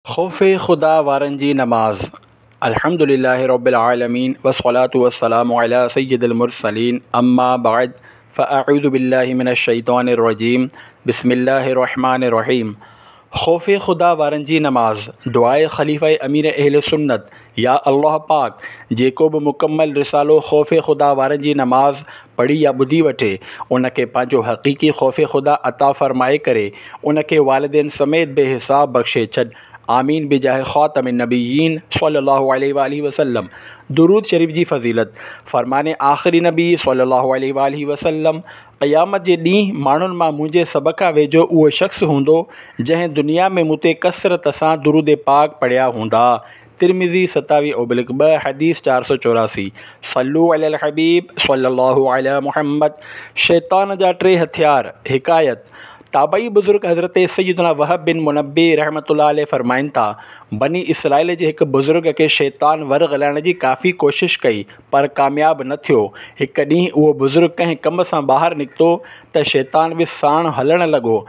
خوف خدا وارن جي نماز الحمد لله رب العالمين والصلاة والسلام على سيد المرسلين اما بعد فاعوذ بالله من الشيطان الرجيم بسم الله الرحمن الرحيم خوف خدا وارن جي نماز دعاء خليفه امير اهل سنت يا الله پاڪ جيڪو به مڪمل رسالو خوف خدا وارن جي نماز پڙهي يا ٻڌي وٺي ان کي پنهنجو حقيقي خوف خدا عطا فرمائي ڪري ان کي والدين سميت بي حساب بخشي ڇڏ آمين بجاه خاتم النبيين صلي الله عليه واله وسلم درود شريف جي فضيلت فرمان آخري نبي صلي الله عليه واله وسلم قيامت جي ڏينهن ماڻهن مان منهنجي سڀ کان ويجهو اهو شخص هوندو جنهن دنيا ۾ مون تي ڪثرت سان درود پاڪ پڙهيا هوندا. ترمذي ستاويهه اوبلڪ ٻه حديث 484 صلو علي الحبيب صلي الله علي محمد شيطان جا ٽي هٿيار، حڪايت، تابعي بزرگ حضرت سيدنا وهب بن منبه رحمة الله عليه فرمائن ٿا، بني اسرائيل جي هڪ بزرگ کي شيطان ورغلائڻ جي ڪافي ڪوشش ڪئي پر ڪامياب نه ٿيو. هڪ ڏينهن اهو بزرگ ڪنهن ڪم سان ٻاهر نڪتو ته شيطان به ساڻ هلڻ لڳو.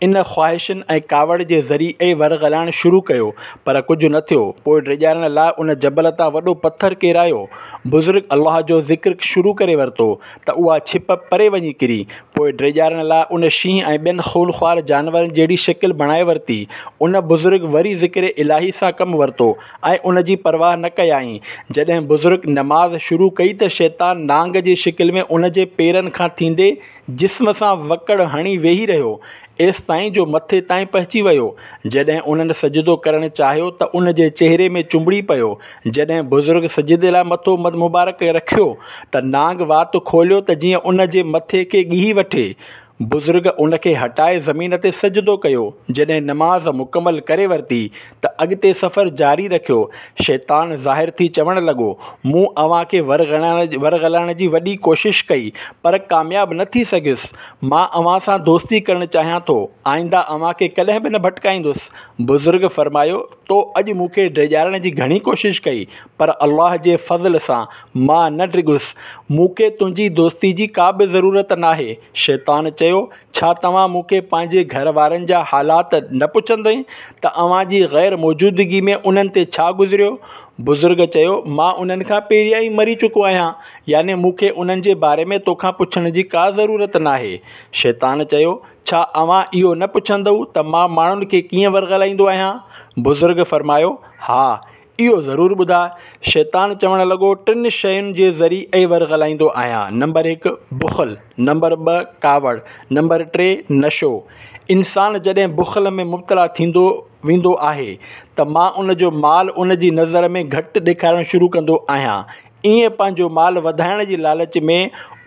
ان خواهشن ۽ ڪاوڙ جي ذريعي ورغلائڻ شروع ڪيو پر ڪجهه نه ٿيو. پوء ڊيڄارڻ لاء ان جبل تان وڏو پٿر ڪيرايو. بزرگ الله جو ذڪر شروع ڪري ورتو ته اها ڇپ پري وڃي ڪري. پوء ڊيڄارڻ لاء ان شينهن ۽ ٻين خونخوار جانورن جهڙي شڪل بڻائي ورتي. ان بزرگ وري ذڪر الاهي سان ڪم ورتو ۽ ان جي پرواهه نه ڪيائين. جڏهن بزرگ نماز شروع ڪئي ته شيطان نانگ جي شڪل ۾ ان جي پيرن کان ٿيندي جسم سان وڪڙ هڻي ويهي رهيو، ايستائين جو مٿي تائين پهچي ويو. جڏهن انهن سجدو ڪرڻ چاهيو ته ان جي چهري ۾ چنبڙي پيو. جڏهن بزرگ سجدي لاء مٿو مبارڪ رکيو ته نانگ وات کوليو ته جيئن ان جي مٿي کي ڳهي وٺي. بزرگ ان کي هٽائي زمين تي سجدو ڪيو. جڏهن نماز مڪمل ڪري ورتي ته اڳتي سفر جاري رکيو. شيطان ظاهر ٿي چوڻ لڳو، مون اوهان کي ورغلائڻ جي وڏي ڪوشش ڪئي پر ڪامياب نه ٿي سگهيس. مان اوهان سان دوستي ڪرڻ چاهيان ٿو. آئنده اوهان کي ڪڏهن به نه ڀٽڪائيندس. بزرگ فرمايو، تو اڄ مون کي ڊيڄارڻ جي گهڻي ڪوشش ڪئي پر الله جي فضل سان مان نه ڊڄس. مون کي تنهنجي دوستي جي ڪا به ضرورت ناهي. شيطان چيو، ڇا توهان مون کي پنهنجي گهر وارن جا حالات نه پڇندئي ته اوهان جي غير موجودگي ۾ انهن تي ڇا گذريو؟ بزرگ چيو، مان انهن کان پهريان ئي مري چڪو آهيان، يعني مون کي انهن جي باري ۾ توکان پڇڻ جي ڪا ضرورت ناهي. شيطان چيو، ڇا اوهان اهو نه پڇندؤ ته مان ماڻهن کي ڪيئن ورغلائيندو آهيان؟ بزرگ فرمايو، ها! اهو ضرور ٻڌاء. شيطان چوڻ لڳو، ٽن شين جي ذريعي ورغلائيندو آهيان، نمبر هڪ، بخل، نمبر ٻه، ڪاوڙ، نمبر ٽي، نشو. انسان جڏهن بخل ۾ مبتلا ٿيندو ويندو آهي ته مان ان جو مال ان جي نظر ۾ گهٽ ڏيکارڻ شروع ڪندو آهيان. ائين پنهنجو مال وڌائڻ جي لالچ ۾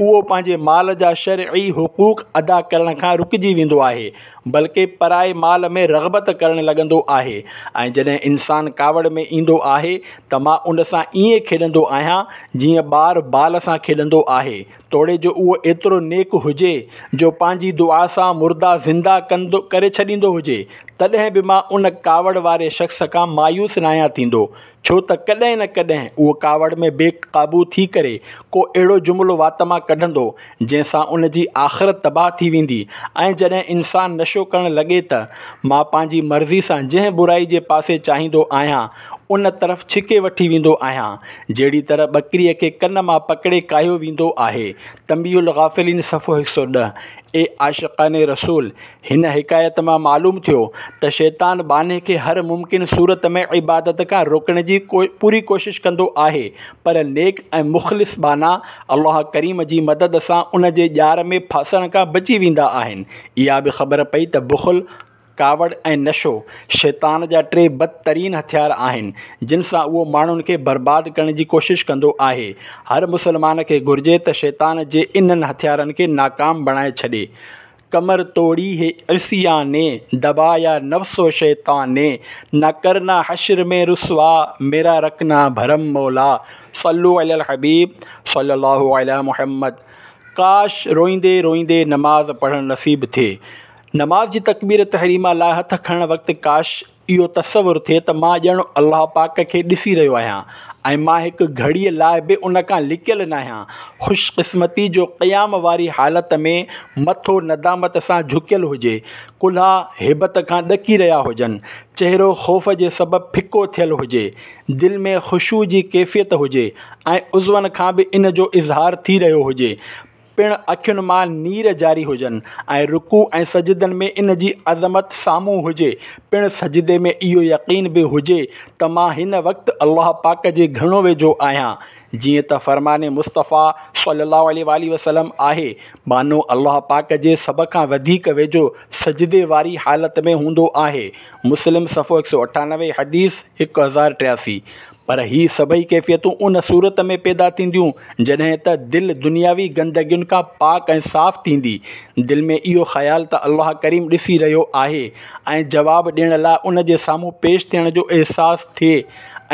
اهو پنهنجي مال جا شرعي حقوق ادا ڪرڻ کان رڪجي ويندو آهي بلڪه پرائي مال ۾ رغبت ڪرڻ لڳندو آهي ۽ جڏهن انسان ڪاوڙ ۾ ايندو آهي ته مان ان سان ائين کيڏندو آهيان جيئن ٻار بال سان کيڏندو آهي توڙي جو اهو ايترو نيڪ هجي جو پنهنجي دعا سان مردا زنده ڪندو ڪري ڇڏيندو هجي تڏهن به مان ان ڪاوڙ واري شخص کان مايوس ناهيان ٿيندو ڇو ته ڪڏهن نه ڪڏهن اهو ڪاوڙ ۾ بي قابو ٿي ڪري ڪو اهڙو جملو وات مان ڪڍندو جنهن سان ان جي آخرت تباهه ٿي ويندي ۽ جڏهن انسان نشو ڪرڻ لڳي ته مان پنهنجي مرضي سان جنهن برائي جي پاسي چاهيندو آهيان ان طرف ڇڪي وٺي ويندو آهيان جهڙي طرح ٻڪريء کي ڪن مان پڪڙي ڪاهيو ويندو آهي تنبيه الغافلين صفحو 110 اي عاشقان رسول! هن حڪايت مان معلوم ٿيو ته شيطان ٻانهي کي هر ممڪن صورت ۾ عبادت کان روڪڻ جي پوري ڪوشش ڪندو آهي پر نيڪ ۽ مخلص ٻانها الله ڪريم جي مدد سان ان جي ڄار ۾ ڦاسڻ کان بچي ويندا آهن. اها به خبر پئي ته بخل، ڪاوڙ ۽ نشو شيطان جا ٽي بدترين هٿيار آهن جن سان اهو ماڻهن کي برباد ڪرڻ جي ڪوشش ڪندو آهي. هر مسلمان کي گهرجي ته شيطان جي انهن هٿيارن کي ناڪام بڻائي ڇڏي. ڪمر توڙي هي عصيان ني، دبايا نفس و شيطان ني، نه ڪرنا حشر ۾ رسوا، ميرا رکنا ڀرم مولا، صلو علي الحبيب صلي الله علي محمد. ڪاش روئيندي روئيندي نماز پڙهڻ نصيب ٿئي. نماز جي تڪبير تحريمه لاء هٿ کڻڻ وقت ڪاش اهو تصور ٿئي ته مان ڄڻ الله پاڪ کي ڏسي رهيو آهيان ۽ مان هڪ گهڙيء لاء به ان کان لڪيل ناهيان. خوش قسمتي جو قيام واري حالت ۾ مٿو ندامت سان جهڪيل هجي، ڪلها هيبت کان ڏڪي رهيا هجن، چهرو خوف جي سبب ڦڪو ٿيل هجي، دل ۾ خشوع جي ڪيفيت هجي ۽ عضون کان به ان جو اظهار ٿي رهيو هجي، پڻ اکين مان نير جاري هجن ۽ رڪوع ۽ سجدن ۾ ان جي عظمت سامهون هجي، پڻ سجدي ۾ اهو يقين به هجي ته مان هن وقت الله پاڪ جي گهڻو ويجهو آهيان، جيئن ته فرمان مصطفيٰ صلي الله عليه واٰله وسلم آهي، ٻانهو الله پاڪ جي سڀ کان وڌيڪ ويجهو سجدي واري حالت ۾ هوندو آهي، مسلم صفحو 198 حديث 1083. پر هي سڀئي ڪيفيتون ان صورت ۾ پيدا ٿينديون جڏهن ته دل دنياوي گندگين کان پاڪ ۽ صاف ٿيندي. دل ۾ اهو خيال ته الله ڪريم ڏسي رهيو آهي ۽ جواب ڏيڻ لاء ان جي سامهون پيش ٿيڻ جو احساس ٿئي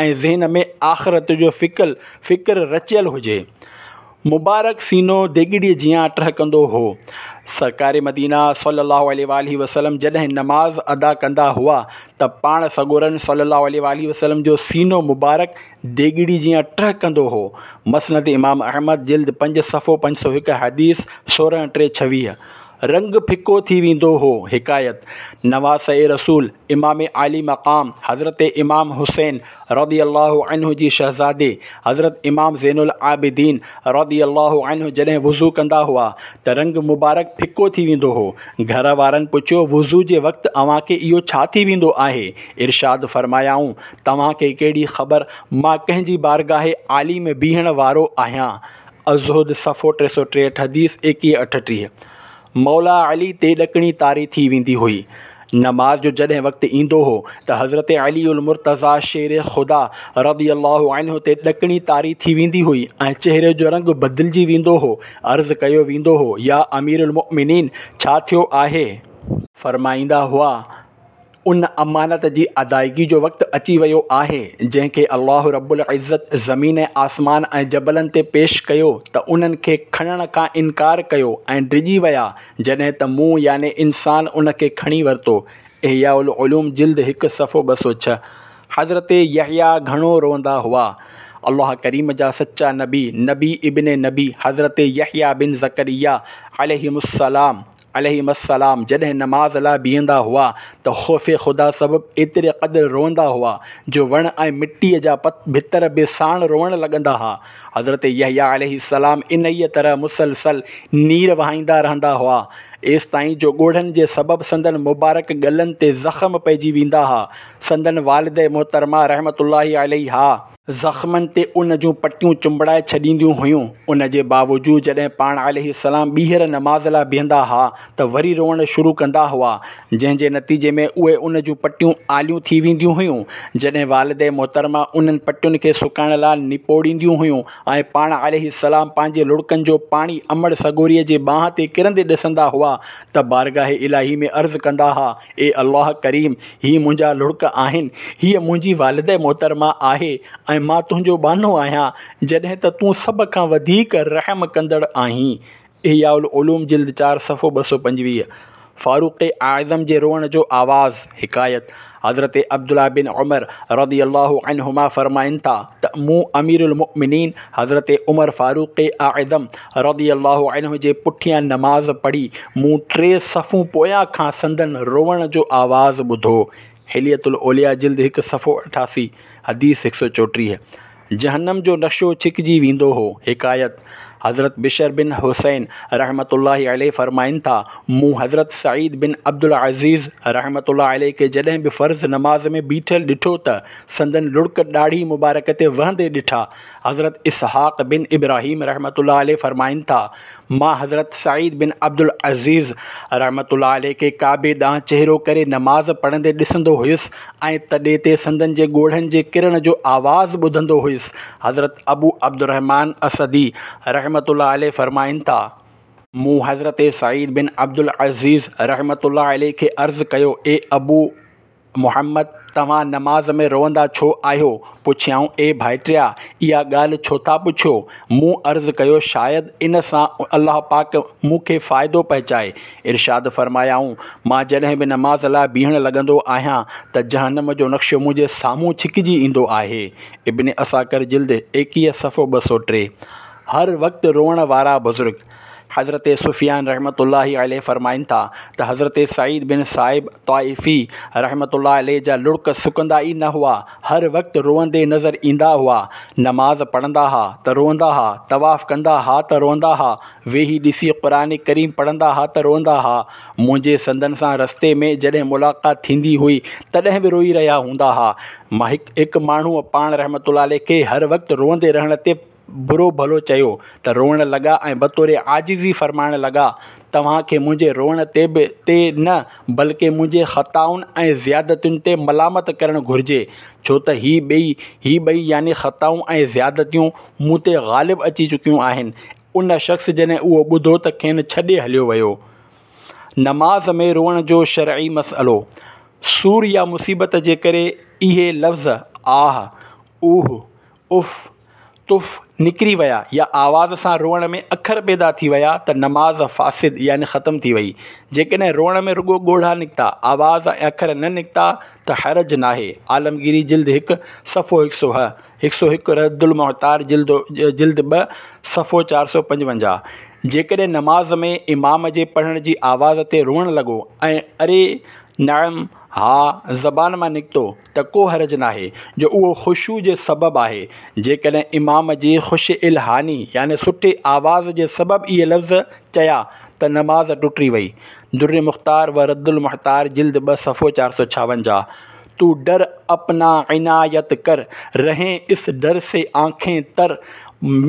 ۽ ذهن ۾ آخرت جو فڪر رچيل هجي. مبارڪ سينو ديڳڙي جيان ٽهڪندو هو. سرڪار مدينه صلّي اللّٰه عليه واٰله وسلّم جڏهن نماز ادا ڪندا هئا ته پاڻ سڳورن صلّي اللّٰه عليه واٰله وسلّم جو سينو مبارڪ ديڳڙي جيان ٽهڪندو هو. مسند امام احمد جلد 5 صفحو 501 حديث 16 ٽي 26. رنگ ڦڪو ٿي ويندو هو. حڪايت، نواسه رسول، امام عالي مقام حضرت امام حسين رضي الله عنه جي شهزادي حضرت امام زين العابدين رضي الله عنه جڏهن وضو ڪندا هئا ته رنگ مبارڪ ڦڪو ٿي ويندو هو. گهر وارن پڇيو وضو جي وقت اوهان کي اهو ڇا ٿي ويندو آهي؟ ارشاد فرمايائون، توهان کي ڪهڙي خبر مان ڪنهن جي بارگاهه عالي ۾ بيهڻ وارو آهيان. الزهد صفحو 363 حديث 21 38. مولا علي تي ڏڪڻي طاري ٿي ويندي هئي. نماز جو جڏهن وقت ايندو هو ته حضرت علي المرتضيٰ شير خدا رضي الله عنه تي ڏڪڻي طاري ٿي ويندي هئي ۽ چهري جو رنگ بدلجي ويندو هو. عرض ڪيو ويندو هو، يا امير المؤمنين! ڇا ٿيو آهي؟ فرمائيندا هئا، ان امانت جي ادائگي جو وقت اچي ويو آهي، جنهن کي الله رب العزت زمين ۽ آسمان ۽ جبلن تي پيش ڪيو ته انهن کي کڻڻ کان انڪار ڪيو ۽ ڊڄي ويا، جڏهن ته مون يعني انسان ان کي کڻي ورتو. احياء العلوم جلد 1 صفحو 206. حضرت يحيٰ گهڻو روئندا هئا. الله ڪريم جا سچا نبي، نبي ابن نبي حضرت يحيٰ بن زڪريا عليهم السلام، عليهما السلام جڏهن نماز لاء بيهندا هئا ته خوف خدا سبب ايتري قدر روئندا هئا جو وڻ ۽ مٽيء جا ڀتر به ساڻ روئڻ لڳندا ها. حضرت يحيٰ عليه السلام انهيء طرح مسلسل نير وهائيندا رهندا هئا، ايستائين جو ڳوڙهن جي سبب سندن مبارڪ ڳلن تي زخم پئجي ويندا ها. سندن والده محترمه رحمة الله عليها. زخمن تي ان جون پٽيون چنبڙائي ڇڏينديون هيون، ان جي باوجود جڏهن پاڻ عليه السلام ٻيهر نماز لاء بيهندا ها ته وري روئڻ شروع ڪندا هئا، جنهن جي نتيجي ۾ اهي ان جون پٽيون آليون ٿي وينديون هيون، جڏهن والده محترمه انهن پٽين کي سڪائڻ لاء نپوڙينديون هيون ۽ پاڻ عليه السلام پنهنجي لڙڪن جو پاڻي امڙ سڳوريء جي ٻانهن تي ڪرندي ڏسندا هئا ته بارگاهه الاهي ۾ عرض ڪندا ها، اي الله ڪريم! هي منهنجا لڙڪ آهن، هيء منهنجي والده محترمه آهي ۽ مان تنهنجو ٻانهو آهيان، جڏهن ته تون سڀ کان وڌيڪ رحم ڪندڙ آهين. احياء العلوم جلد 4 صفحو 225. فاروق اعظم جي روئڻ جو آواز، حڪايت، حضرت عبدالله بن عمر رضي الله عنهما فرمائن ٿا ته مون امير المؤمنين حضرت عمر فاروق اعظم رضي الله عنه جي پٺيان نماز پڙهي، مون ٽي صفون پويان کان سندن روئڻ جو آواز ٻڌو. حلية الاولياء جلد 1 صفحو 88، حديث 134. جهنم جو نقشو ڇڪجي ويندو هو. حڪايت، حضرت بشر بن حصين رحمة الله عليه فرمائن ٿا، مون حضرت سعيد بن عبدالعزيز رحمة الله عليه کي جڏهن به فرض نماز ۾ بيٺل ڏٺو ته سندن لڙڪ ڏاڙهي مبارڪ تي وهندي ڏٺا. حضرت اسحاق بن ابراهيم رحمة الله عليه فرمائن ٿا، مان حضرت سعيد بن عبدالعزيز رحمة الله عليه کي ڪعبي ڏانهن چهرو ڪري نماز پڙهندي ڏسندو هيس ۽ تڏي تي سندن جي ڳوڙهن جي ڪرڻ جو آواز ٻڌندو هيس. حضرت ابو عبدالرحمان اسدي رحمة الله عليه فرمائن ٿا، مون حضرت سعيد بن عبدالعزيز رحمة الله عليه کي عرض ڪيو، اي ابو! محمد! توهان نماز ۾ روئندا ڇو آهيو؟ پڇيائون، اي ڀائٽيا! اها ڳالهه ڇو ٿا پڇو؟ مون عرض ڪيو، شايد ان سان الله پاڪ مون کي فائدو پهچائي. ارشاد فرمايائون، مان جڏهن به نماز لاء بيهڻ لڳندو آهيان ته جهنم جو نقشو منهنجي سامهون ڇڪجي ايندو آهي. ابن عساڪر جلد 21 صفحو 203. هر وقت روئڻ وارا بزرگ. حضرت سفيان رحمة الله عليه فرمائن ٿا ته حضرت سعيد بن سائب طائفي رحمة الله عليه جا لڙڪ سڪندا ئي نه هئا، هر وقت روئندي نظر ايندا هئا، نماز پڙهندا ها ته روئندا ها، طواف ڪندا ها ته روئندا ها، ويهي ڏسي قرآن ڪريم پڙهندا ها ته روئندا ها، منهنجي سندن سان رستي ۾ جڏهن ملاقات ٿيندي هئي تڏهن به روئي رهيا هوندا ها، هڪ ماڻهوء پاڻ رحمة الله عليه کي هر وقت روئندي رهڻ تي برو ڀلو چيو ته روئڻ لڳا ۽ بطور عاجزي فرمائڻ لڳا، توهان کي منهنجي روئڻ تي به تي نه بلڪه منهنجي خطائن ۽ زيادتين تي ملامت ڪرڻ گهرجي، ڇو ته هي ٻئي هي ٻئي يعني خطائون ۽ زيادتيون مون تي غالب اچي چڪيون آهن. ان شخص جڏهن اهو ٻڌو ته کين ڇڏي هليو ويو. نماز ۾ روئڻ جو شرعي مسئلو، سور يا مصيبت جي ڪري اهي لفظ آه، اوه، اف، تف نڪري ويا يا آواز سان روئڻ ۾ اکر پيدا ٿي ويا ته نماز فاسد يعني ختم ٿي وئي. جيڪڏهن روئڻ ۾ رڳو ڳوڙها نڪتا، آواز ۽ اکر نه نڪتا ته حرج ناهي. عالمگيري جلد هڪ، صفحو هڪ سؤ هه، هڪ سؤ هڪ رد المحتار جلد جلد ٻه، صفحو 455. جيڪڏهن نماز ۾ امام جي پڙهڻ جي آواز تي روئڻ لڳو ۽ اري نعم، ها، زبان مان نڪتو ته ڪو حرج ناهي، جو اهو خشوع جي سبب آهي. جيڪڏهن امام جي خوش الحاني يعني سٺي آواز جي سبب اهي لفظ چيا ته نماز ٽٽي وئي. در مختار و رد المحتار جلد ٻه صفحو 456. تو ڊر اپنا عنايت ڪر، رهين اس ڊر سي آنکين تر،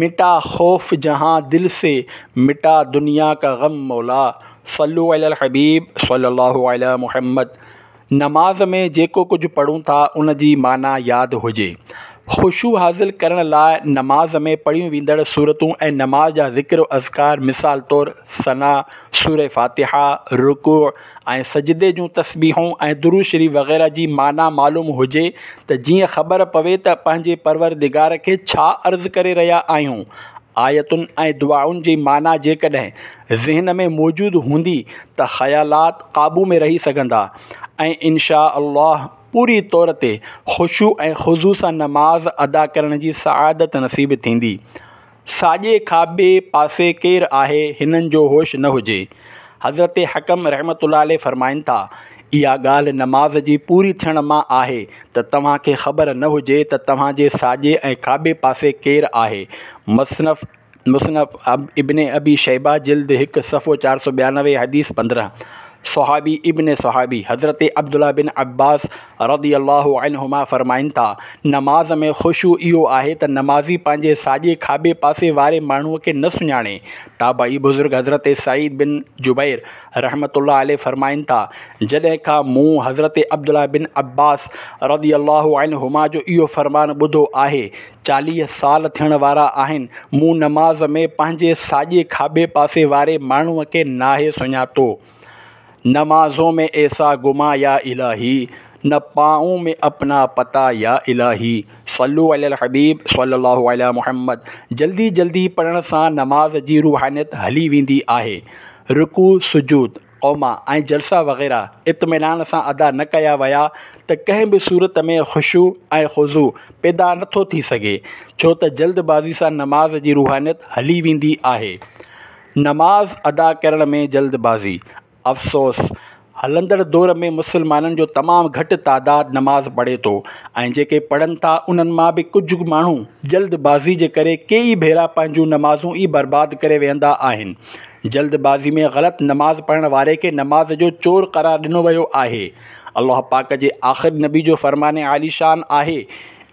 مٽا خوف جهان دل سي، مٽا دنيا ڪا غم مولا. صلو علی الحبيب صلي الله علي محمد نماز ۾ جيڪو ڪجهه پڙهون ٿا ان جي معنيٰ ياد هجي. خشوع حاصل ڪرڻ لاء نماز ۾ پڙهيون ويندڙ سورتون ۽ نماز جا ذڪر و اذڪار مثال طور ثنا، سورة فاتحه، رڪوع ۽ سجدي جون تسبيحون ۽ درود شريف وغيره جي معنيٰ معلوم هجي ته جيئن خبر پوي ته پنهنجي پروردگار کي ڇا عرض ڪري رهيا آهيون. آيتن ۽ دعائن جي معنيٰ جيڪڏهن ذهن ۾ موجود هوندي ته خيالات قابو ۾ رهي سگهندا ۽ ان شاء الله پوري طور تي خشوع ۽ خضوع سان نماز ادا ڪرڻ جي سعادت نصيب ٿيندي. ساڄي کاٻي پاسي ڪير آهي هنن جو هوش نه هجي. حضرت حڪم رحمة الله عليه فرمائن ٿا، اها ڳالهه نماز جي پوري ٿيڻ مان آهي ته توهان کي خبر نه هجي ته توهان جي ساڄي ۽ کاٻي پاسي ڪير آهي. مصنف مصنف ابن ابي شيبه جلد هڪ صفحو 492 حديث 15. صحابي ابن صحابي حضرت عبدالله بن عباس رضي الله عنهما فرمائن ٿا، نماز ۾ خشوع اهو آهي ته نمازي پنهنجي ساڄي کاٻي پاسي واري ماڻهوء کي نه سڃاڻي. تابعي بزرگ حضرت سعيد بن جبير رحمة الله عليه فرمائن ٿا، جڏهن کان مون حضرت عبدالله بن عباس رضي الله عنهما جو اهو فرمان ٻڌو آهي، 40 سال ٿيڻ وارا آهن، مون نماز ۾ پنهنجي ساڄي کاٻي پاسي واري ماڻهوء کي ناهي سڃاتو. نمازون ۾ ايسا گما يا الٰهي، نه پائون ۾ اپنا پتا يا الٰهي، صلو علي الحبيب صلي الله علي محمد جلدي جلدي پڙهڻ سان نماز جي روحانيت هلي ويندي آهي. رڪوع، سجود، قوما ۽ جلسا وغيره اطمينان سان ادا نه ڪيا ويا ته ڪنهن به صورت ۾ خشوع ۽ خضوع پيدا نه ٿو ٿي سگهي، ڇو ته جلد بازي سان نماز جي روحانيت هلي ويندي آهي. نماز ادا ڪرڻ ۾ جلد بازي، افسوس! هلندڙ دور ۾ مسلمانن جو تمام گهٽ تعداد نماز پڙهي ٿو ۽ جيڪي پڙهن ٿا انهن مان به ڪجهه ماڻهو جلد بازي جي ڪري ڪيئي ڀيرا پنهنجون نمازون ئي برباد ڪري ويهندا آهن. جلد بازي ۾ غلط نماز پڙهڻ واري کي نماز جو چور قرار ڏنو ويو آهي. الله پاڪ جي آخري نبي جو فرمان عاليشان آهي،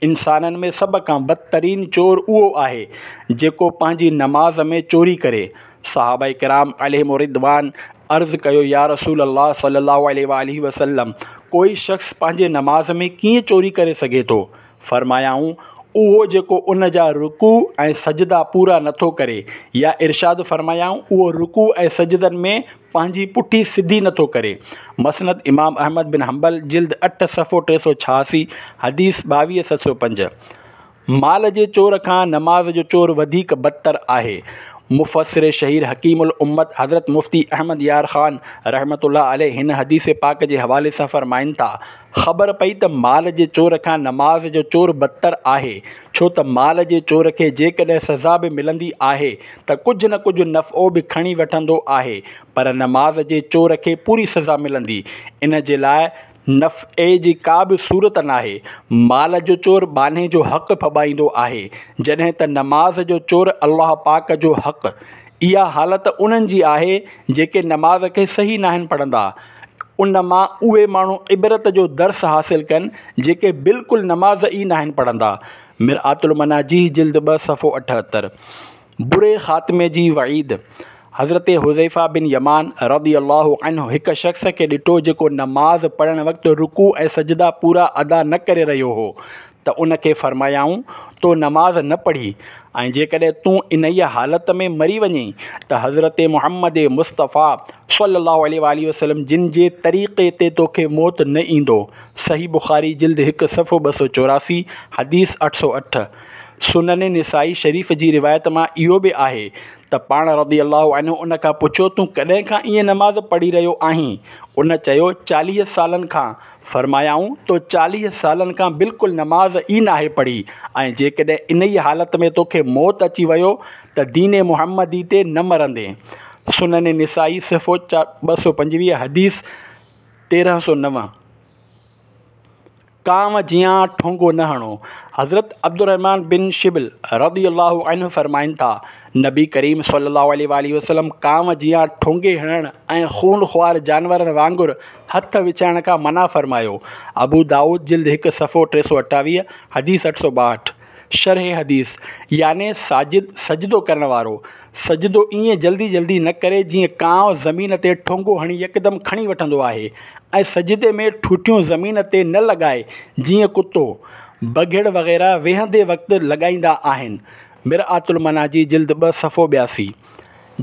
انسانن ۾ سڀ کان بدترين چور اهو آهي جيڪو پنهنجي نماز ۾ چوري ڪري. صحابه ڪرام عليهم الرضوان عرض ڪيو يا رسول الله صلي الله عليه واٰله وسلم ڪوئي شخص پنهنجي نماز ۾ ڪيئن چوري ڪري سگهي ٿو؟ فرمايائون اهو جيڪو ان جا رڪوع ۽ سجدا پورا نٿو ڪري يا ارشاد فرمايائون اهو رڪوع ۽ سجدن ۾ پنهنجي پٺي سڌي نٿو ڪري. مسند امام احمد بن حنبل جلد 8 صفحو 386 حديث 22705. مال جي چور کان نماز جو چور وڌيڪ بدتر آهي. مفسر شهير حڪيم الامت حضرت مفتي احمد يار خان رحمة الله عليه هن حديث پاڪ جي حوالي سان فرمائن ٿا، خبر پئي ته مال جي چور کان نماز جو چور بدتر آهي، ڇو ته مال جي چور کي جيڪڏهن سزا به ملندي آهي ته ڪجهه نه ڪجهه نفعو به کڻي وٺندو آهي پر نماز جي چور کي پوري سزا ملندي، ان جي لاء نفعي جي ڪا به صورت ناهي. مال جو چور ٻانهي جو حق ڦٻائيندو آهي، جڏهن ته نماز جو چور الله پاڪ جو حق. اها حالت انهن جي آهي جيڪي نماز کي صحيح ناهن پڙهندا. ان مان اهي ماڻهو عبرت جو درس حاصل ڪن جيڪي بلڪل نماز ئي ناهن پڙهندا. مرآة المناجي جلد 2 صفحو 78. بري خاتمي جي وعيد، حضرت حذيفه بن يمان رضي الله عنه هڪ شخص کي ڏٺو جيڪو نماز پڙهڻ وقت رڪوع ۽ سجدا پورا ادا نه ڪري رهيو هو ته ان کي فرمايائون، تو نماز نه پڙهي ۽ جيڪڏهن تون انهيء حالت ۾ مري وڃين ته حضرت محمد مصطفيٰ صلي الله عليه واٰله وسلم جن جي طريقي تي توکي موت نه ايندو. صحيح بخاري جلد 1 صفحو 284 حديث 808. سنن نسائي شريف جي روايت مان اهو به آهي ته پاڻ رضي الله عنه ان کان پڇيو تون ڪڏهن کان ائين نماز پڙهي رهيو آهين؟ ان چيو 40 سالن کان. فرمايائون تو 40 سالن کان بلڪل نماز ئي ناهي پڙهي ۽ جيڪڏهن انهيء حالت ۾ توکي موت اچي ويو ته دين محمدي تي نه مرندين. سنن نسائي صفحو 225 حديث 1309. ڪانء جيان ٺونگو نه هڻو. حضرت عبدالرحمان بن شبل رضي الله عنه فرمائن ٿا، نبي ڪريم صلي الله عليه واٰله وسلم ڪانء جيان ٺونگي هڻڻ ۽ خون خوار جانورن وانگر هٿ وڇائڻ کان منع فرمايو. ابو دائود جلد 1 صفحو 328 حديث 862. شرح حديث، يعني ساجد، سجدو ڪرڻ وارو، سجدو ائين جلدي جلدي نه ڪري جيئن ڪانء زمين تي ٺونگو هڻي يڪدم کڻي وٺندو آهي ۽ سجدي ۾ ٺونٺيون زمين تي نه لڳائي جيئن ڪتو، بگهڙ وغيره ويهندي وقت لڳائيندا آهن. مرآة المناجي جلد 2 صفحو 82.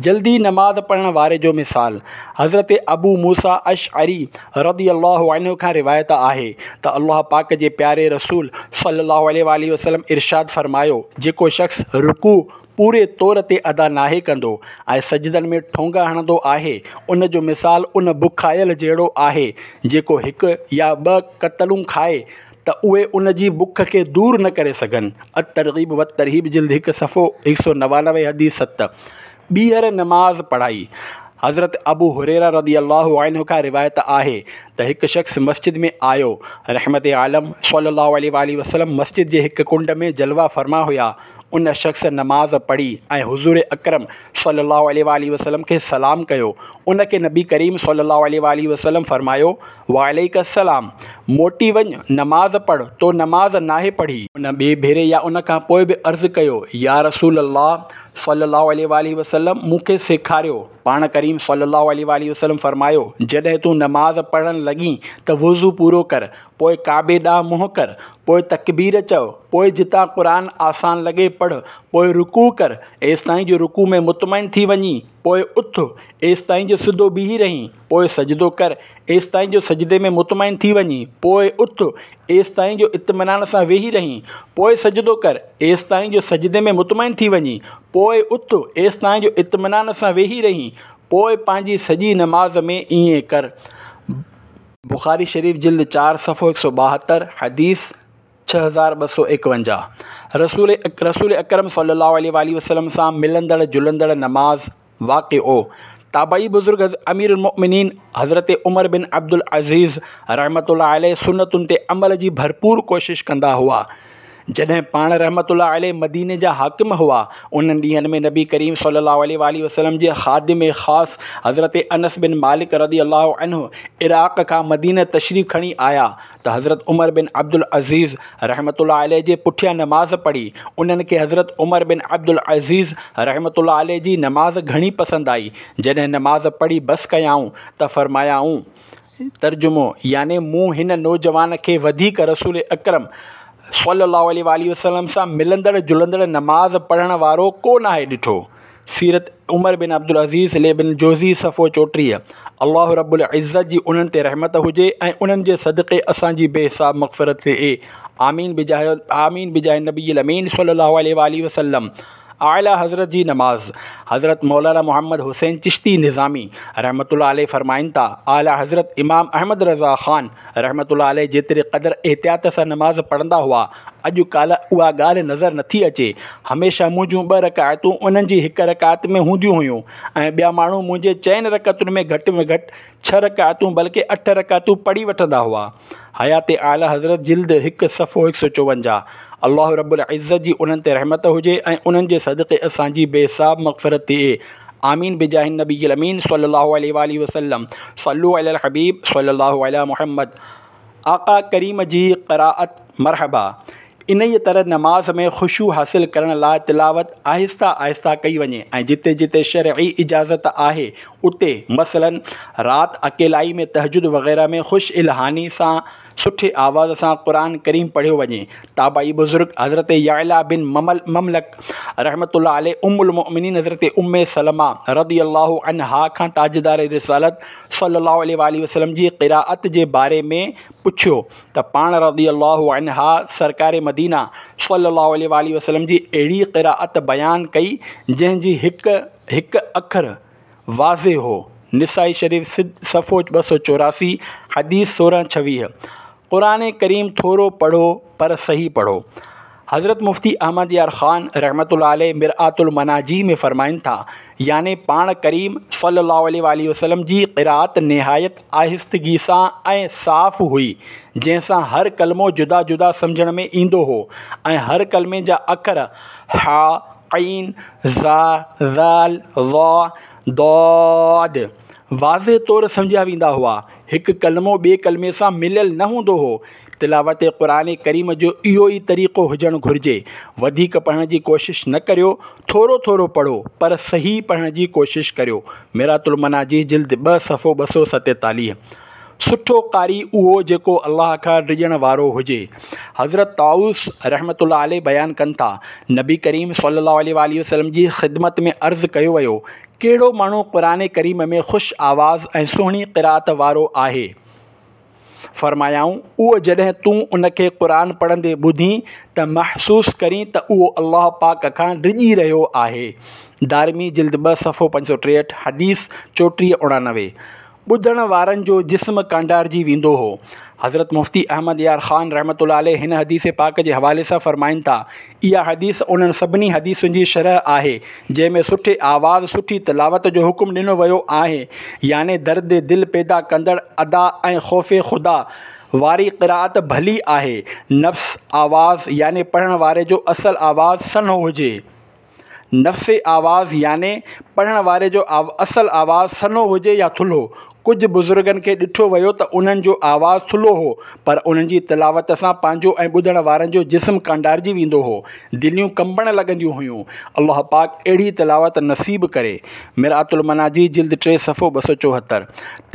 جلدي نماز پڙهڻ واري جو مثال، حضرت ابو موسيٰ اشعري رضي الله عنه کان روايت آهي ته الله پاڪ جي پياري رسول صلي الله عليه واٰله وسلم ارشاد فرمايو، جيڪو شخص رڪوع پوري طور تي ادا ناهي ڪندو ۽ سجدن ۾ ٺونگا هڻندو آهي ان جو مثال ان بکايل جهڙو آهي جيڪو هڪ يا ٻه ڪتلون کائي ته اهي ان جي بک کي دور نه ڪري سگهن. الترغيب والترهيب جلد 1 صفحو 199 حديث 7. ٻيهر نماز پڙهائي. حضرت ابو هريره رضي الله عنه کان روايت آهي ته هڪ شخص مسجد ۾ آيو، رحمت عالم صلي الله عليه واٰله وسلم مسجد جي هڪ ڪنڊ ۾ جلوه فرما هيا، ان شخص نماز پڙهي ۽ حضور اڪرم صلي الله عليه واٰله وسلم کي سلام ڪيو، ان کي نبي ڪريم صلي الله عليه واٰله وسلم فرمايو، وعليڪ السلام، موٽي وڃ، نماز پڙهه، تو نماز ناهي پڙهي. ان ٻئي ڀيري يا ان کان پوء به عرض ڪيو، يا رسول الله صلي الله عليه واٰله وسلم مون کي سيکاريو، پاڻ ڪريم صلي الله عليه واٰله وسلم فرمايو، جڏهن تون نماز پڙهڻ لڳين ته وضو پورو ڪر، پوء ڪعبي ڏانهن منهن ڪر، پوء تڪبير چئو، پوء جتان قرآن آسان لڳي پڙهه، پوء رڪوع ڪر، ايستائين جو رڪوع ۾ مطمئن ٿي وڃين، پوء اٿ، ايستائين جو سڌو بيهي رهين، پوء سجدو ڪر، ايستائين جو سجدي ۾ مطمئن ٿي وڃين، پوء اٿ، ايستائين جو اطمينان سان ويهي رهين، پوء سجدو ڪر، ايستائين جو سجدي ۾ مطمئن ٿي وڃين، پوء اٿ، ايستائين جو اطمينان سان ويهي رهين، پوء پنهنجي سڄي نماز ۾ ائين ڪر. بخاري شريف جلد 4 صفحو 172 حديث 6251. رسول رسول اڪرم صلي الله عليه واٰله وسلم سان ملندڙ جلندڙ نماز واقعو تابعي بزرگ امير المؤمنين حضرت عمر بن عبدالعزيز رحمة الله عليه سنتن تي عمل جي ڀرپور ڪوشش ڪندا هئا. جڏهن پاڻ رحمة الله عليه مديني جا حاڪم هئا، انهن ڏينهن ۾ نبي ڪريم صلي الله عليه واٰله وسلم جي خادم خاص حضرت انس بن مالڪ رضي الله عنه عراق کان مدينه تشريف کڻي آيا ته حضرت عمر بن عبدالعزيز رحمة الله عليه جي پٺيان نماز پڙهي، انهن کي حضرت عمر بن عبدالعزيز رحمة الله عليه جي نماز گهڻي پسند آئي، جڏهن نماز پڙهي بس ڪيائون ته فرمايائون. ترجمو، يعني مون هن نوجوان کي وڌيڪ رسول اڪرم صلي الله عليه واٰله وسلم سان ملندڙ جلندڙ نماز پڙهڻ وارو ڪو ناهي ڏٺو. سيرت عمر بن عبدالعزيز لابن جوزي صفحو 34. الله رب العزت جي انهن تي رحمت هجي ۽ انهن جي صدقي اسان جي بي حساب مغفرت ٿئي. آمين بجاه آمين بجاه النبي الامين صلي الله عليه واله وسلم. اعليٰ حضرت جي نماز، حضرت مولانا محمد حسين چشتي نظامي رحمة الله عليه فرمائن ٿا، اعليٰ حضرت امام احمد رضا خان رحمة الله عليه جيتري قدر احتياط سان نماز پڙهندا هئا، اڄ ڪالهه اها ڳالهه نظر نٿي اچي. هميشه منهنجون ٻه رڪعتون انهن جي هڪ رڪعت ۾ هونديون هيون ۽ ٻيا ماڻهو منهنجي چئن رڪعتن ۾ گهٽ ۾ گهٽ ڇهه رڪعتون بلڪه اٺ رڪعتون پڙهي وٺندا هئا. حيات اعليٰ حضرت جلد 1 صفحو 154. الله رب العزت جي انهن تي رحمت هجي ۽ انهن جي صدقي اسان جي بي حساب مغفرت ٿئي. آمين بجاه النبي الامين صلي الله عليه واله وسلم. صلو علي الحبيب صلي الله علي محمد. آقا ڪريم جي قرائت مرحبا. انهيء طرح نماز ۾ خشوع حاصل ڪرڻ لاء تلاوت آهستي آهستي ڪئي وڃي ۽ جتي جتي شرعي اجازت آهي اتي مثلاً رات اڪيلائي ۾ تهجد وغيره ۾ خوش الحاني سان سٺي آواز سان قرآن ڪريم پڙهيو وڃي. تابعي بزرگ حضرت يعليٰ بن مملڪ رحمة الله عليه ام المؤمنين حضرت ام سلمه رضي الله عنها کان تاجدار رسالت صلي الله عليه واٰله وسلم جي قرائت جي باري ۾ پڇيو ته پاڻ رضي الله عنها سرڪار مدينه صلي الله عليه واٰله وسلم جي اهڙي قرائت بيان ڪئي جنهن جي هڪ هڪ اکر واضح هو. نسائي شريف صفحو 284 حديث 16 26. قرآن ڪريم ٿورو پڙهو پر صحيح پڙهو. حضرت مفتي احمد يار خان رحمة الله عليه مرآة المناجي ۾ فرمائن ٿا، يعني پاڻ ڪريم صلي الله عليه واٰله وسلم جي قرائت نهايت آهستگي سان ۽ صاف هئي، جنهن سان هر ڪلمو جدا جدا سمجهڻ ۾ ايندو هو ۽ هر ڪلمي جا اکر حا، عين، ظا، ذال، ضا، ضاد واضح طور سمجهيا ويندا هئا. هڪ ڪلمو ٻئي ڪلمي سان مليل نه هوندو هو. تلاوت قرآن ڪريم جو اهو ئي طريقو هجڻ گهرجي. وڌيڪ پڙهڻ جي ڪوشش نه ڪريو، ٿورو ٿورو پڙهو، پر صحيح پڙهڻ جي ڪوشش ڪريو. مرآة المناجي جلد 2 صفحو 247. سٺو قاري اهو جيڪو الله کان ڊڄڻ وارو هجي. حضرت طاؤس رحمة الله عليه بيان ڪن ٿا، نبي ڪريم صلي الله عليه واٰله وسلم جي خدمت ۾ عرض ڪيو ويو، ڪهڙو ماڻهو قرآن ڪريم ۾ خوش آواز ۽ سهڻي قرائت وارو آهي؟ فرمايائون، اهو جڏهن تون ان کي قرآن پڙهندي ٻڌين ته محسوس ڪرين ته اهو الله پاڪ کان ڊڄي رهيو آهي. دارمي جلد 2 صفحو 563 حديث 34 89. ٻڌڻ وارن جو جسم ڪانڊارجي ويندو هو. حضرت مفتي احمد يار خان رحمة الله عليه هن حديث پاڪ جي حوالي سان فرمائن ٿا، اها حديث انهن سڀني حديثن جي شرح آهي، جنهن ۾ سٺي آواز، سٺي تلاوت جو حڪم ڏنو ويو آهي، يعني درد دل پيدا ڪندڙ ادا ۽ خوف خدا واري قرائت ڀلي آهي. نفس آواز يعني پڙهڻ واري جو اصل آواز سنهو هجي. نفس آواز يعني پڙهڻ واري جو اصل آواز سنهو هجي يا ٿلهو. ڪجهه بزرگن کي ڏٺو ويو ته انهن جو آواز ٿلهو هو، پر انهن جي تلاوت سان پنهنجو ۽ ٻڌڻ وارن جو جسم ڪانڊارجي ويندو هو، دليون ڪنبڻ لڳنديون هيون. الله پاڪ اهڙي تلاوت نصيب ڪري. مرآة المناجي جلد 3 صفحو 274.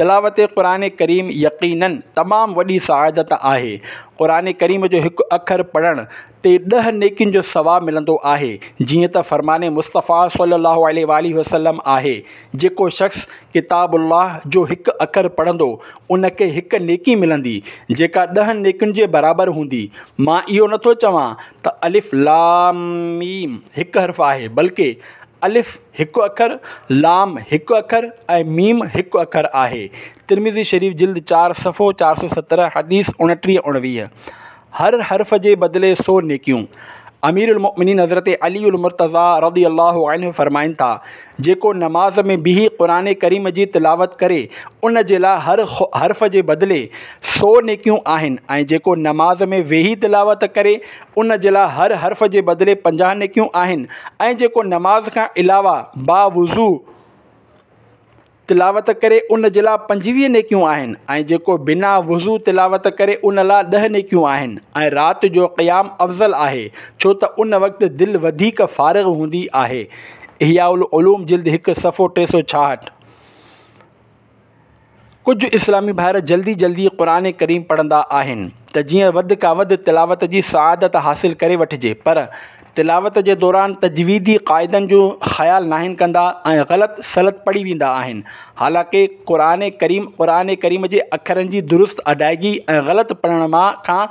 تلاوت قرآن ڪريم يقيناً تمام وڏي سعادت آهي. قرآن ڪريم جو هڪ اکر پڙهڻ تي 10 نيڪين جو ثواب ملندو آهي، جيئن ته فرمان مصطفيٰ صلي الله عليه واٰله وسلم آهي، جيڪو شخص ڪتاب الله جو هڪ اکر پڙهندو ان کي هڪ نيڪي ملندي، جيڪا 10 نيڪين جي برابر هوندي. مان اهو نٿو چوان ته الف لام ميم هڪ حرف آهي، بلڪه الف هڪ اکر، لام هڪ اکر ۽ ميم هڪ اکر آهي. ترمذي شريف جلد 4 صفحو 417 حديث 29 19. هر حرف جي بدلي 100 نيڪيون. امير المؤمنين حضرت علي المرتضيٰ رضي الله عنه فرمائن ٿا، جيڪو نماز ۾ بيهي قرآن ڪريم جي تلاوت ڪري ان جي لاء هر حرف جي بدلي 100 نيڪيون آهن ۽ جيڪو نماز ۾ ويهي تلاوت ڪري ان جي لاء هر حرف جي بدلي 50 نيڪيون آهن ۽ جيڪو نماز کان علاوه باوضو تلاوت ڪري ان جي لاء 25 نيڪيون آهن ۽ جيڪو بنا وضو تلاوت ڪري ان لاء 10 نيڪيون آهن ۽ رات جو قيام افضل آهي ڇو ته ان وقت دل وڌيڪ فارغ هوندي آهي. احياء العلوم جلد 1 صفحو 366. ڪجهه اسلامي ڀائر جلدي جلدي قرآن ڪريم پڙهندا آهن ته جيئن وڌ کان وڌ تلاوت جي سعادت حاصل ڪري وٺجي پر تلاوت جي دوران تجويدي قاعدن جو خيال ناهن ڪندا ۽ غلط سلط پڙهي ويندا آهن. حالانڪه قرآن ڪريم قرآن ڪريم جي اکرن جي درست ادائگي ۽ غلط پڙهڻ مان کان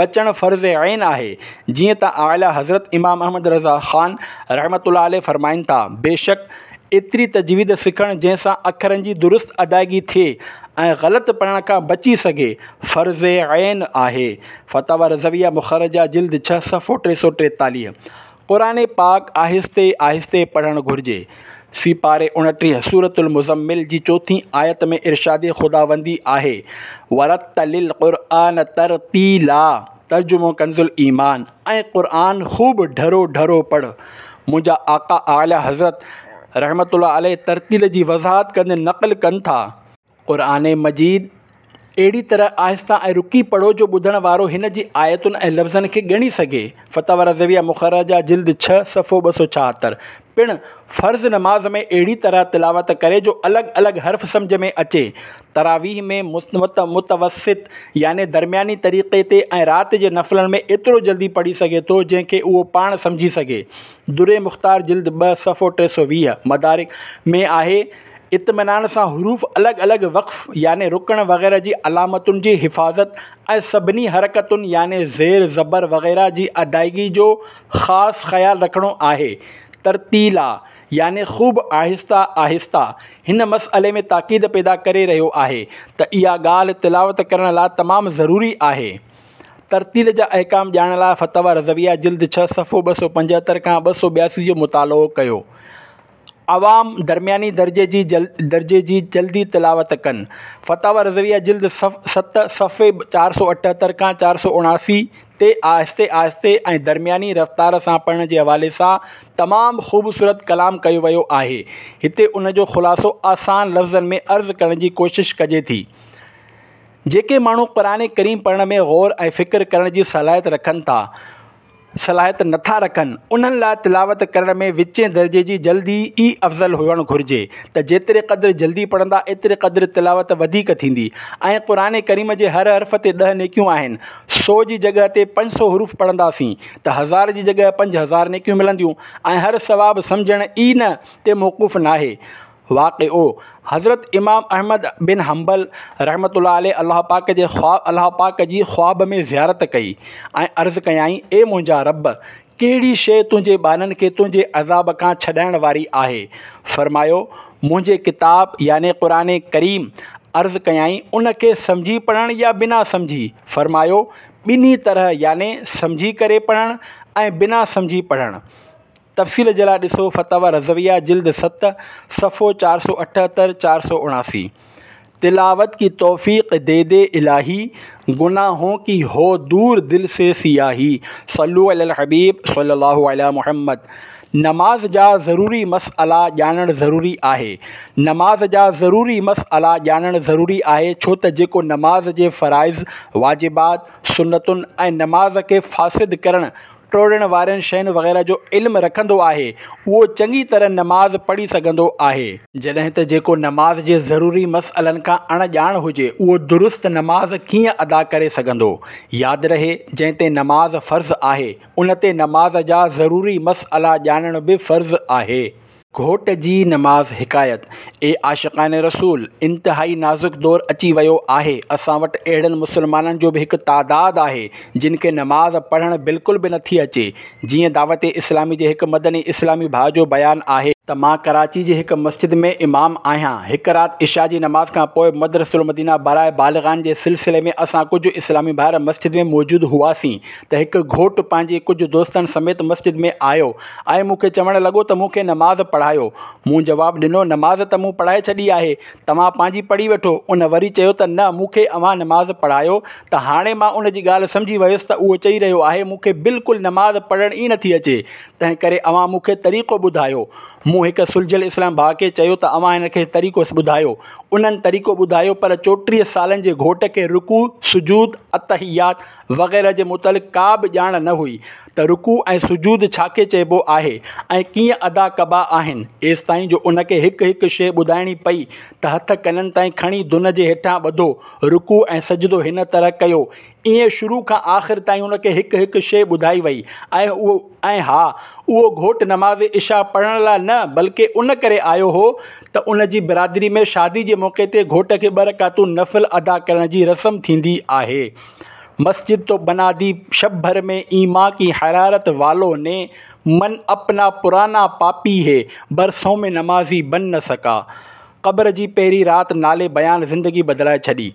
بچڻ فرض عين آهي. جيئن ته اعليٰ حضرت امام احمد رضا خان رحمة الله عليه فرمائن ٿا، بيشڪ ايتري تجويد سکڻ جنهن سان اکرن جي درست ادائگي ٿئي ۽ غلط پڙهڻ کان بچي سگهي، فرض عين آهي. فتاويٰ رضويه مخرجه جلد ڇهه صفحو 343. قرآن پاڪ آهستي آهستي پڙهڻ گهرجي. سيپاري 29 سورة المزمل جي چوٿين آيت ۾ ارشاد خداوندي آهي، ورتل القرآن ترتيلا ترجمو ڪنز الايمان، ۽ قرآن خوب ڍرو ڍرو پڙهه. منهنجا آقا اعليٰ حضرت رحمة الله عليه ترتيل جي وضاحت ڪندي نقل ڪن ٿا. قرآن مجيد اهڙي طرح آهسته ۽ رڪي پڙهو جو ٻڌڻ وارو هن جي آيتن ۽ لفظن کي ڳڻي سگهي. فتاويٰ رضويه مخرجه جلد ڇهه صفحو 276. پڻ فرض نماز ۾ اهڙي طرح تلاوت ڪري جو الڳ الڳ حرف سمجهه ۾ اچي. تراويح ۾ متوسط يعني درمياني طريقي تي ۽ رات جي نفلن ۾ ايترو جلدي پڙهي سگهي ٿو جنهن کي اهو پاڻ سمجهي سگهي. در مختار جلد 2 صفحو 320، مدارڪ ۾ آهي. اطمينان سان حروف الڳ الڳ وقف يعني رڪڻ وغيره جي علامتن جي حفاظت ۽ سڀني حرڪتن يعني زير زبر وغيره جي ادائگي جو خاص خيال رکڻو آهي. ترتيلا يعني خوب آهسته آهسته هن مسئلي ۾ تاڪيد پيدا ڪري رهيو آهي ته اها ڳالهه تلاوت ڪرڻ لاء تمام ضروري آهي. ترتيل جا احڪام ڄاڻڻ لاء فتاويٰ رضويه جلد 6 صفحو 275 کان 282 جو مطالعو ڪيو. عوام درمياني درجي جي درجي جي جلدي تلاوت ڪن. فتاويٰ رضويه جلد 7 صفحي 478 کان 479 تي آهستي آهستي ۽ درمياني رفتار سان پڙهڻ جي حوالي سان تمام خوبصورت ڪلام ڪيو ويو آهي. هتي ان جو خلاصو آسان لفظن ۾ عرض ڪرڻ جي ڪوشش ڪجي ٿي. جيڪي ماڻهو قرآن ڪريم پڙهڻ ۾ غور ۽ فڪر ڪرڻ جي صلاحيت رکن ٿا، صلاحيت نٿا رکن، انهن لاء تلاوت ڪرڻ ۾ وچين درجي جي جلدي ئي افضل هئڻ گهرجي ته جيتري قدر جلدي پڙهندا ايتري قدر تلاوت وڌيڪ ٿيندي ۽ قرآن ڪريم جي هر حرف تي 10 نيڪيون آهن سو جي جڳهه تي 500 حروف پڙهنداسين ته 1000 جي جڳهه 5000 نيڪيون ملنديون ۽ هر ثواب سمجهڻ ئي نه تي موقوف ناهي. واقعو، حضرت امام احمد بن حنبل رحمة الله عليه الله پاڪ جي الله پاڪ جي خواب ۾ زيارت ڪئي ۽ عرض ڪيائين، اي منهنجا رب! ڪهڙي شيء تنهنجي ٻانهن کي تنهنجي عذاب کان ڇڏائڻ واري آهي؟ فرمايو، منهنجي ڪتاب يعني قرآن ڪريم. عرض ڪيائين، ان کي سمجهي پڙهڻ يا بنا سمجهي؟ فرمايو، ٻنهي طرح يعني سمجهي ڪري پڙهڻ ۽ بنا سمجهي پڙهڻ. تفصيل جي لاء ڏسو فتاويٰ رضويه جلد 7 صفحو 478 479. تلاوت ڪي توفيق the the الاهي، گناهون ڪي هو دور دل سي سياهي، صلو علي الحبيب صلي الله علي محمد. نماز جا ضروري مسئلا ڄاڻڻ ضروري آهي. نماز جا ضروري مسئلا ڄاڻڻ ضروري آهي ڇو ته جيڪو نماز جي فرائض، واجبات، سنتن ۽ نماز کي فاسد ڪرڻ، ٽوڙڻ وارين شين وغيره جو علم رکندو آهي، اهو چڱي طرح نماز پڙهي سگهندو آهي. جڏهن ته جيڪو نماز جي ضروري مسئلن کان اڻ ڄاڻ هجي، اهو درست نماز ڪيئن ادا ڪري سگهندو؟ ياد رهي، جنهن تي نماز فرض آهي، ان تي نماز جا ضروري مسئلا ڄاڻڻ به فرض آهي. گهوٽ جي نماز حڪايت، اي عاشقان رسول! انتهائي نازڪ دور اچي ويو آهي، اسان وٽ اهڙن مسلمانن جو به هڪ تعداد آهي جن کي نماز پڙهڻ بلڪل به نٿي اچي، جيئن دعوت اسلامي جي هڪ مدني اسلامي ڀاء جو بيان آهي، ته مان ڪراچي جي هڪ مسجد ۾ امام آهيان، هڪ رات عشاء جي نماز کان پوء مدرسة المدينه براء بالغان جي سلسلي ۾ اسان ڪجهه اسلامي ڀائر مسجد ۾ موجود هئاسين ته هڪ گهوٽ پنهنجي ڪجهه دوستن سميت مسجد ۾ آيو ۽ مون کي چوڻ لڳو ته مون کي نماز پڙهايو. مون جواب ڏنو، نماز ته مون پڙهائي ڇڏي آهي، توهان پنهنجي پڙهي وٺو. ان وري چيو ته نه مون کي اوهان نماز پڙهايو ته هاڻي مان ان جي ڳالهه سمجهي ويس ته اهو چئي رهيو آهي مون کي بلڪل نماز پڙهڻ ئي نٿي اچي، تنهنڪري اوهان مون کي طريقو ٻڌايو. مون هڪ سلجهيل اسلام ڀاء کي چيو ته اوهان هن کي طريقو ٻڌايو. انهن طريقو ٻڌايو پر 34 سالن جي گهوٽ کي رڪوع، سجود، التحيات وغيره جي متعلق ڪا به ڄاڻ نه هئي ته رڪوع ۽ سجود ڇا کي چئبو آهي ۽ ڪيئن ادا ڪبا آهن. ايستائين جو ان کي هڪ هڪ شيء ٻڌائڻي پئي ته هٿ ڪنن تائين کڻي دن جي هيٺان ٻڌو، رڪوع ۽ سجدو هن طرح ڪيو. ائين شروع کان آخر تائين ان کي هڪ هڪ شيء ٻڌائي وئي ۽ اهو ۽ ها اهو گهوٽ نماز عشاء پڙهڻ لاء نه بلڪه ان ڪري آيو هو ته ان جي برادري ۾ شادي جي موقعي تي گهوٽ کي ٻه رڪعتون نفل ادا ڪرڻ جي رسم ٿيندي آهي. مسجد تو بنا the شب ڀر ۾ ايمان ڪي حرارت والو ني من اپنا پرانا پاپي هي برسون ۾ نمازي بن نه سڪا. قبر جي پهرين رات نالي بيان زندگي بدلائي ڇڏي.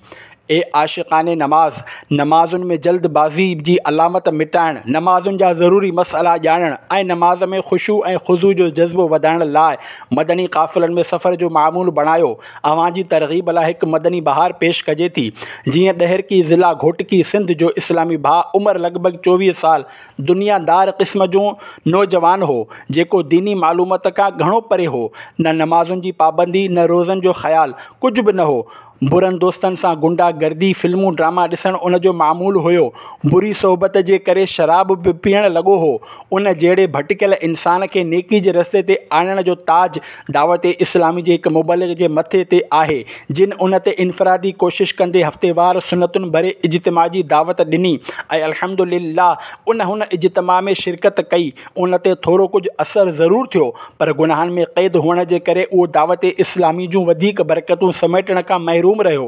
اي عاشقان نماز! نمازن ۾ جلد بازي جي علامت مٽائڻ، نمازن جا ضروري مسئلا ڄاڻڻ ۽ نماز ۾ خشوع ۽ خضوع جو جذبو وڌائڻ لاء مدني قافلن ۾ سفر جو معمول بڻايو. اوهان جي ترغيب لاء هڪ مدني بهار پيش ڪجي ٿي. جيئن ڏهرڪي ضلع گهوٽڪي سنڌ جو اسلامي ڀاء عمر لڳ ڀڳ 24 سال دنيا دار قسم جو نوجوان هو، جيڪو ديني معلومات کان گهڻو پري هو. نه نمازن جي پابندي، نه روزن جو خيال، ڪجهه به نه هو. برن دوستن سان غنڊا گردي، فلمون ڊراما ڏسڻ ان جو معمول هيو. بري صحبت جي ڪري شراب به پيئڻ لڳو هو. ان جهڙي ڀٽڪيل انسان کي نيڪي جي رستي تي آڻڻ جو تاج دعوت اسلامي جي هڪ مبلغ جي مٿي تي آهي، جن ان تي انفرادي ڪوشش ڪندي هفتيوار سنتن ڀري اجتماع جي دعوت ڏني ۽ الحمد لله ان هن اجتماع ۾ شرڪت ڪئي، ان تي ٿورو ڪجهه اثر ضرور ٿيو، پر گناهن ۾ قيد هئڻ جي ڪري اهو دعوت اسلامي جون وڌيڪ برڪتون سميٽڻ کان محروم رهيو.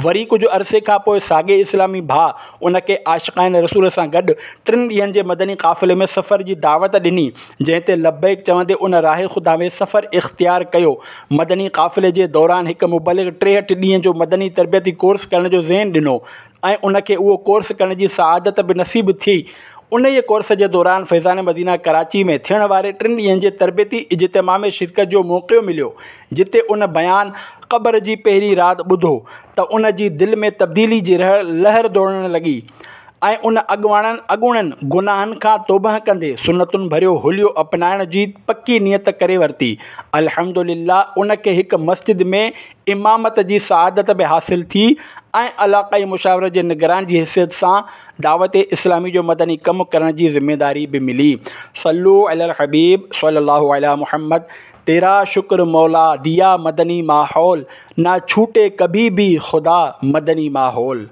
وري ڪجهه عرصي کان پوء ساڳئي اسلامي ڀاء ان کي عاشقان رسول سان گڏ ٽن ڏينهن جي مدني قافلي ۾ سفر جي دعوت ڏني، جنهن تي لبيڪ چوندي ان راهه خدا ۾ سفر اختيار ڪيو. مدني قافلي جي دوران هڪ مبلغ 63 ڏينهن جو مدني تربيتي ڪورس ڪرڻ جو ذهن ڏنو ۽ ان کي اهو ڪورس ڪرڻ جي سعادت به نصيب ٿي. انهيء ڪورس جي دوران فيضان مدينه ڪراچي ۾ ٿيڻ واري ٽن ڏينهن جي تربيتي اجتماع ۾ شرڪت جو موقعو مليو، جتي ان بيان قبر جي پهرين رات ٻڌو ته ان جي دل ۾ تبديلي جي لهر ڊوڙڻ لڳي. ۽ ان اڳواڻن اڳوڻن گناهن کان توبهه ڪندي سنتن ڀريو حليو اپنائڻ جي پڪي نيت ڪري ورتي. الحمد لله ان کي هڪ مسجد ۾ امامت جي سعادت به حاصل ٿي ۽ علاقائي مشاورت جي نگران جي حيثيت سان دعوت اسلامي جو مدني ڪم ڪرڻ جي ذميداري به ملي. صلو علي الحبيب صلي الله علي محمد تيرا شڪر مولا ديا مدني ماحول نا ڇوٽي ڪڀي ڀي خدا مدني ماحول.